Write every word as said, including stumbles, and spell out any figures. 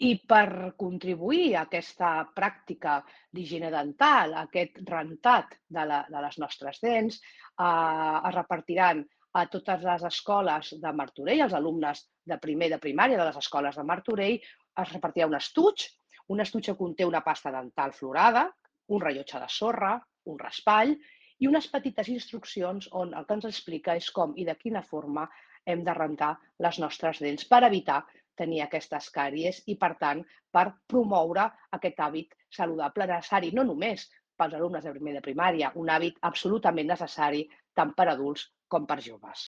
I per contribuir a aquesta pràctica d'higiene dental, a aquest rentat de la de les nostres dents, eh, es repartiran a totes les escoles de Martorell, als alumnes de primer de primària de les escoles de Martorell, es repartirà un estuig. Un estuig que conté una pasta dental fluorada, un rellotge de sorra, un raspall i unes petites instruccions on el que ens explica és com i de quina forma hem de rentar les nostres dents per evitar tenir aquestes càries i, per tant, per promoure aquest hàbit saludable necessari, no només pels alumnes de primer de primària, un hàbit absolutament necessari tant per adults com per joves.